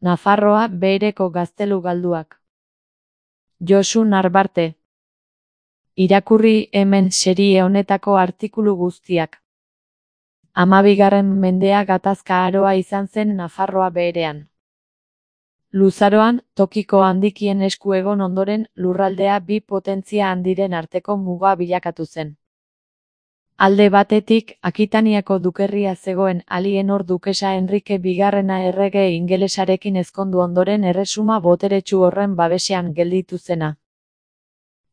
Nafarroa Behereko gaztelu galduak. Josu Narbarte. Irakurri hemen serie honetako artikulu guztiak. 12. mendea gatazka aroa izan zen Nafarroa Beherean. Luzaroan, tokiko handikien esku egon ondoren, lurraldea bi potentzia handiren arteko muga bilakatu zen. Alde batetik, Akitaniako dukerria zegoen Alienor dukesa Enrique bigarrena errege ingelesarekin ezkondu ondoren erresuma boteretsu horren babesean gelditu zena.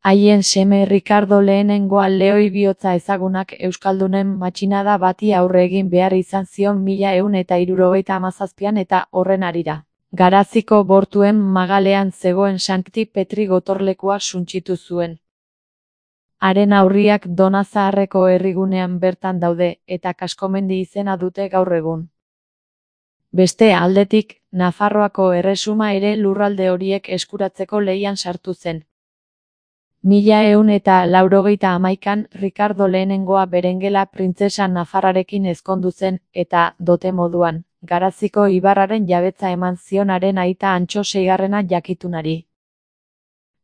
Haien seme Ricardo lehenengoa lehoi bihotza ezagunak euskaldunen matxinada bati aurre egin behar izan zion 1177an eta horren harira. Garaziko bortuen magalean zegoen Sankti Petri gotorlekua suntsitu zuen. Haren aurriak Donazaharreko herrigunean bertan daude, eta Kaskomendi izena dute gaur egun. Beste aldetik, Nafarroako erresuma ere lurralde horiek eskuratzeko lehian sartu zen. 1181an Ricardo lehenengoa Berengela printzesa Nafarrarekin ezkondu zen, eta, dote moduan, Garaziko ibarraren jabetza eman zionaren aita Antxo seigarrena jakitunari.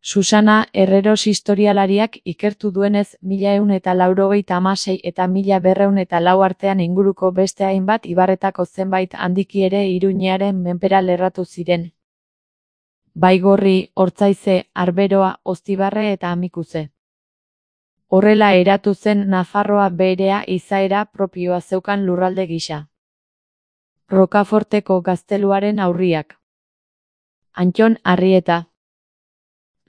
Susana Herreros historialariak ikertu duenez 1186 eta 1204 artean inguruko beste hainbat ibarretako zenbait handiki ere Iruñearen menpera lerratu ziren. Baigorri, Ortzaize, Arberoa, Oztibarre eta Amikuze. Horrela eratu zen Nafarroa Beherea izaera propioa zeukan lurralde gisa. Rokaforteko gazteluaren aurriak. Antton Arrieta.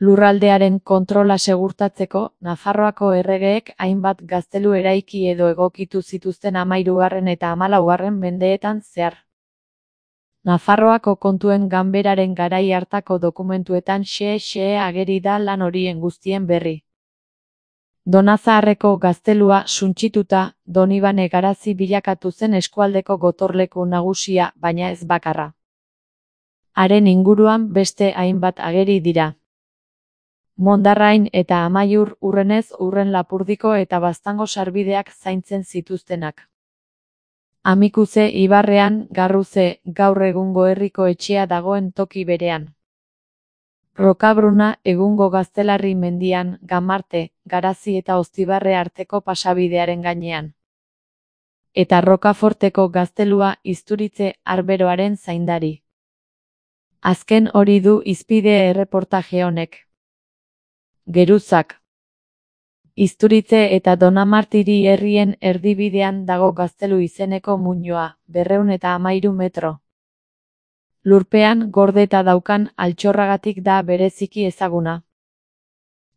Lurraldearen kontrola segurtatzeko, Nafarroako erregeek hainbat gaztelu eraiki edo egokitu zituzten 13. eta 14. mendeetan zehar. Nafarroako kontuen ganberaren garai hartako dokumentuetan xe ageri da lan horien guztien berri. Donazaharreko gaztelua suntsituta, Donibane Garazi bilakatu zen eskualdeko gotorleku nagusia, baina ez bakarra. Haren inguruan beste hainbat ageri dira. Mondarrain eta Amaiur Urrenez Urren Lapurdiko eta Baztango sarbideak zaintzen zituztenak. Amikuze ibarrean, Garruze, gaur egungo herriko etxea dagoen toki berean. Rokabruna egungo Gaztelarri mendian, Gamarte, Garazi eta Oztibarre arteko pasabidearen gainean. Eta Rokaforteko gaztelua Izturitze Arberoaren zaindari. Azken hori du hizpide erreportaje honek. Geruzak. Izturitze eta Donamartiri herrien erdibidean dago gaztelu izeneko muinoa, 213 metro. Lurpean gordeta daukan altxorragatik da bereziki ezaguna.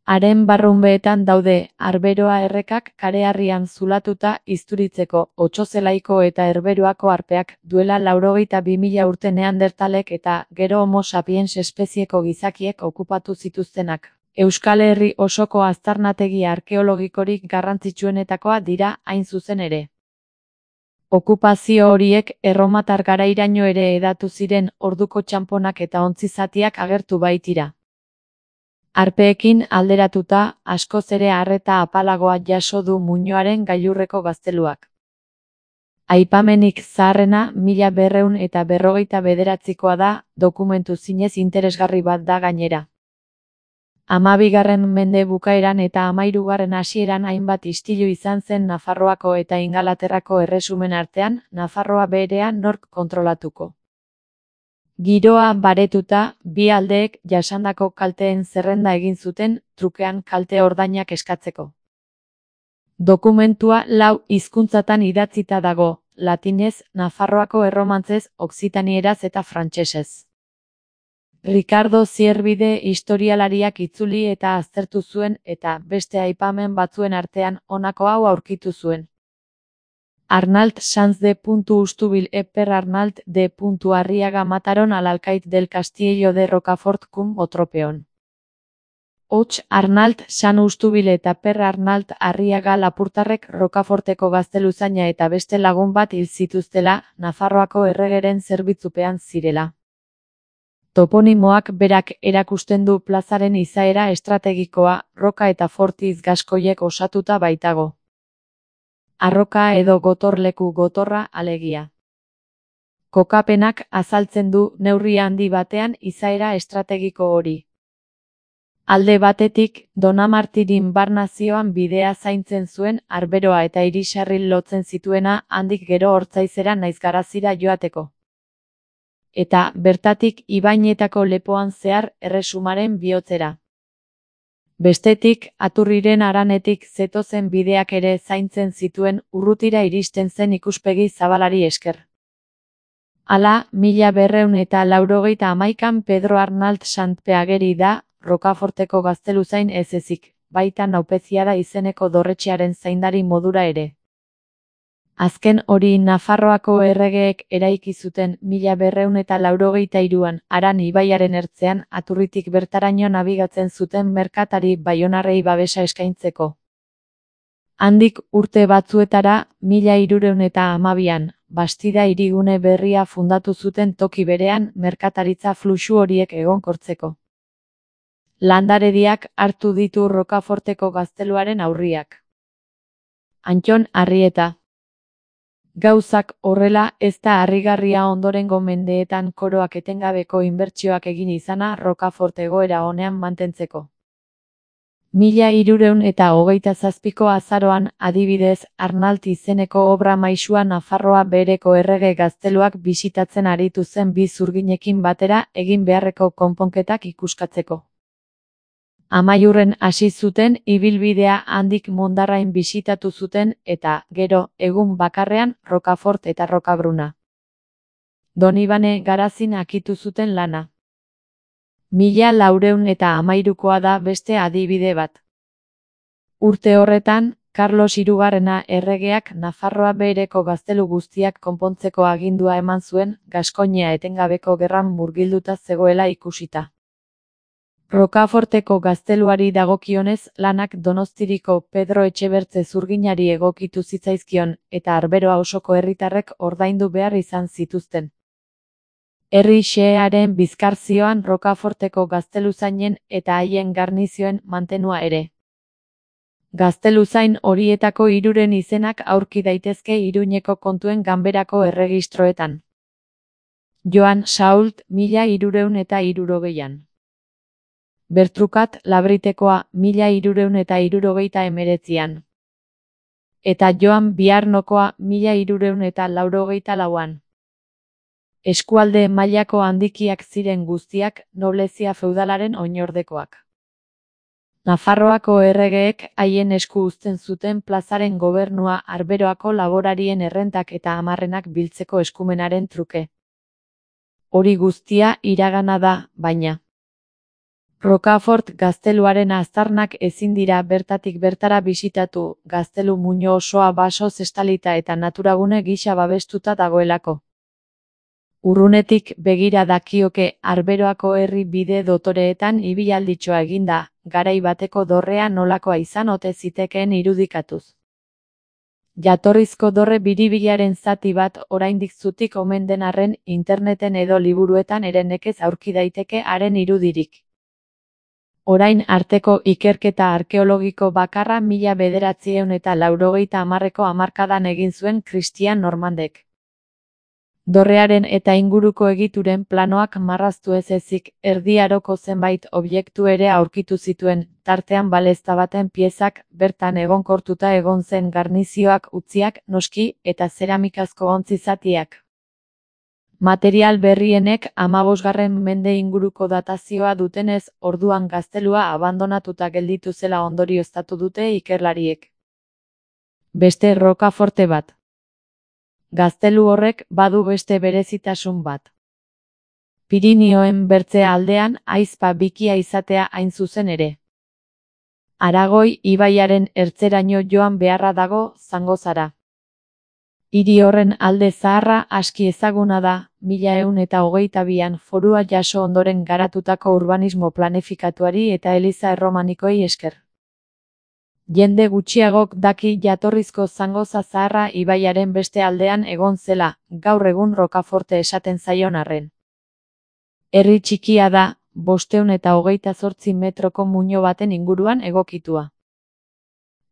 Haren barrunbeetan daude, Arberoa errekak kareharrian zulatuta Izturitzeko, Otsozelaiko eta Herberoako arpeak, duela 82.000 urte Neandertalek eta gero Homo sapiens espezieko gizakiek okupatu zituztenak. Euskal Herri osoko aztarnategi arkeologikorik garrantzitsuenetakoa dira hain zuzen ere. Okupazio horiek erromatar garairaino ere hedatu ziren, orduko txanponak eta ontzizatiak agertu baitira. Arpeekin alderatuta, askoz ere arreta apalagoa jaso du muinoaren gailurreko gazteluak. Aipamenik zaharrena 1249koa da, dokumentu zinez interesgarri bat da gainera. 12. mende bukaeran eta 13. hasieran hainbat istilu izan zen Nafarroako eta Ingalaterrako erresumen artean, Nafarroa Beherea nork kontrolatuko. Giroa baretuta, bi aldeek jasandako kalteen zerrenda egin zuten, trukean kalte ordainak eskatzeko. Dokumentua 4 hizkuntzatan idatzita dago, latinez, Nafarroako erromantzez, okzitanieraz eta frantsesez. Ricardo Zierbide historialariak itzuli eta aztertu zuen eta beste aipamen batzuen artean honako hau aurkitu zuen. Arnalt Sanz de Ustubil per Arnalt de Arriaga mataron al alcaid del Castillo de Rocafort cum Otropeon. Hots Arnalt San Ustubil eta per Arnalt Arriaga Lapurtarrek Rokaforteko gazteluzaina eta beste lagun bat hil zituztela, Nafarroako erregeren zerbitzupean zirela. Toponimoak berak erakusten du plazaren izaera estrategikoa, roka eta fortiz gaskoiek osatuta baitago. Arroka edo gotorleku gotorra alegia. Kokapenak azaltzen du neurri handi batean izaera estrategiko hori. Alde batetik, Donamartirin barnazioan bidea zaintzen zuen Arberoa eta Irisarri lotzen zituena handik gero Ortzaizera naiz Garazira joateko. Eta, bertatik Ibainetako lepoan zehar Erresumaren bihotzera. Bestetik, Aturriren haranetik zetozen bideak ere zaintzen zituen urrutira iristen zen ikuspegi zabalari esker. Hala, 1281an Pedro Arnalt Santpe ageri da, Rocaforteko gazteluzain ez ezik, baita Naupeziada izeneko dorretxearen zaindari modura ere. Azken hori Nafarroako erregeek eraiki zuten 1283an Aran ibaiaren ertzean Aturritik bertaraino nabigatzen zuten merkatari baionarrei babesa eskaintzeko. Handik urte batzuetara 1312an, Bastida hirigune berria fundatu zuten toki berean merkataritza fluxu horiek egonkortzeko. Landarediak hartu ditu Rocaforteko gazteluaren aurriak. Antton Arrieta. Gauzak horrela ez da harrigarria ondorengo mendeetan koroak etengabeko inbertsioak egin izana Rocafort egoera onean mantentzeko. 1327ko azaroan, adibidez, Arnalt izeneko obra maisua Nafarroa behereko errege gazteluak bisitatzen aritu zen bi zurginekin batera egin beharreko konponketak ikuskatzeko. Amaiurren hasi zuten ibilbidea handik Mondarrain bisitatu zuten eta, gero, egun bakarrean Rocafort eta Rocabruna. Donibane Garazin akitu zuten lana. 1413koa da beste adibide bat. Urte horretan, Carlos Hirugarrena erregeak Nafarroa behereko gaztelu guztiak konpontzeko agindua eman zuen, Gaskoinia etengabeko gerran murgilduta zegoela ikusita. Rocaforteko gazteluari dagokionez, lanak Donostiriko Pedro Etxebertze zurginari egokitu zitzaizkion eta Arberoa osoko herritarrek ordaindu behar izan zituzten. Herri xehearen bizkarzioan Rocaforteko gazteluzainen eta haien garnizioen mantenua ere. Gazteluzain horietako hiruren izenak aurki daitezke Iruñeko kontuen ganberako erregistroetan. Joan Sault 1360an. Bertrukat Labritekoa 1379an. Eta Joan Biarnokoa 1384an. Eskualde mailako handikiak ziren guztiak, noblezia feudalaren oinordekoak. Nafarroako erregeek haien esku uzten zuten plazaren gobernua Arberoako laborarien errentak eta amarrenak biltzeko eskumenaren truke. Hori guztia iragana da, baina. Rocafort gazteluaren aztarnak ezin dira bertatik bertara bisitatu, gaztelu muino osoa basoz estalita eta naturagune gisa babestuta dagoelako. Urrunetik begira dakioke Arberoako herri bide dotoreetan ibilalditxoa eginda, garai bateko dorrea nolakoa izan ote zitekeen irudikatuz. Jatorrizko dorre biribilaren zati bat oraindik zutik omen den arren interneten edo liburuetan ere nekez aurki daiteke haren irudirik. Orain arteko ikerketa arkeologiko bakarra 1980ko hamarkadan egin zuen Christian Normandek. Dorrearen eta inguruko egituren planoak marraztu ez ezik, Erdi Aroko zenbait objektu ere aurkitu zituen, tartean balezta baten piezak, bertan egonkortuta egon zen garnizioak utziak, noski, eta zeramikazko ontzi zatiak. Material berrienek 15. mende inguruko datazioa dutenez, orduan gaztelua abandonatuta gelditu zela ondorioztatu dute ikerlariek. Beste Rocaforte bat. Gaztelu horrek badu beste berezitasun bat. Pirinioen bertze aldean aizpa bikia izatea hain zuzen ere. Aragoi ibaiaren ertzeraino joan beharra dago Zangozara. Hiri horren alde zaharra aski ezaguna da, 1122an forua jaso ondoren garatutako urbanismo planifikatuari eta eliza erromanikoei esker. Jende gutxiagok daki jatorrizko Zangoza zaharra ibaiaren beste aldean egon zela, gaur egun Rocaforte esaten zaion arren. Herri txikia da, 528 metroko muino baten inguruan egokitua.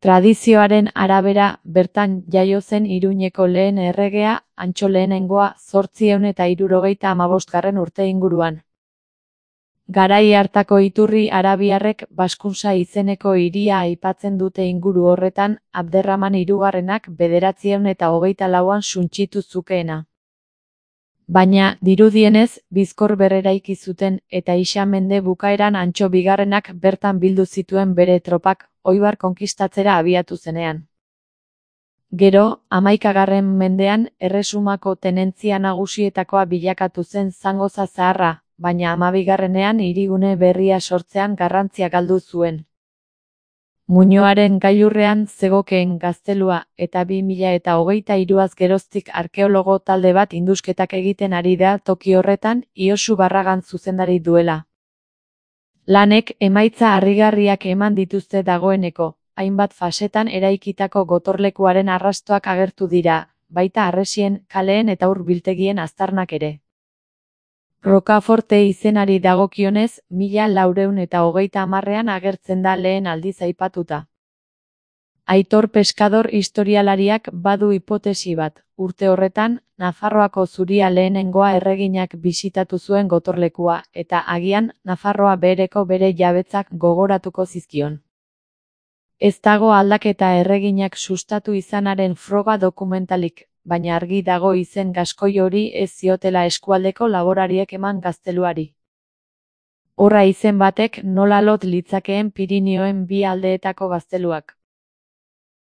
Tradizioaren arabera, bertan jaio zen Iruñeko lehen erregea, Antso lehenengoa, 875 urte inguruan. Garai hartako iturri arabiarrek Baskuntza izeneko hiria aipatzen dute inguru horretan, Abderraman hirugarrenak 924an suntsitu zukeena. Baina, dirudienez, bizkor berreraiki zuten eta ixa mende bukaeran Antso bigarrenak bertan bildu zituen bere tropak, Oibar konkistatzera abiatu zenean. Gero, 11. mendean, Erresumako tenentzia nagusietakoa bilakatu zen Zangoza Zaharra, baina 12. hirigune berria sortzean garrantzia galdu zuen. Muñoaren gailurrean zegokeen gaztelua eta 2023az geroztik arkeologo talde bat indusketak egiten ari da toki horretan, Iosu Barragan zuzendari duela. Lanek emaitza harrigarriak eman dituzte dagoeneko, hainbat fasetan eraikitako gotorlekuaren arrastoak agertu dira, baita harresien, kaleen eta ur biltegien aztarnak ere. Rocaforte izenari dagokionez, 1430an agertzen da lehen aldiz aipatuta. Aitor Pescador historialariak badu hipotesi bat, urte horretan, Nafarroako Zuria lehenengoa erreginak bisitatu zuen gotorlekua, eta agian, Nafarroa behereko bere jabetzak gogoratuko zizkion. Ez dago aldaketa erreginak sustatu izanaren froga dokumentalik, baina argi dago izen gaskoi hori ez ziotela eskualdeko laborariek eman gazteluari. Horra izen batek nola lot litzakeen Pirinioen bi aldeetako gazteluak.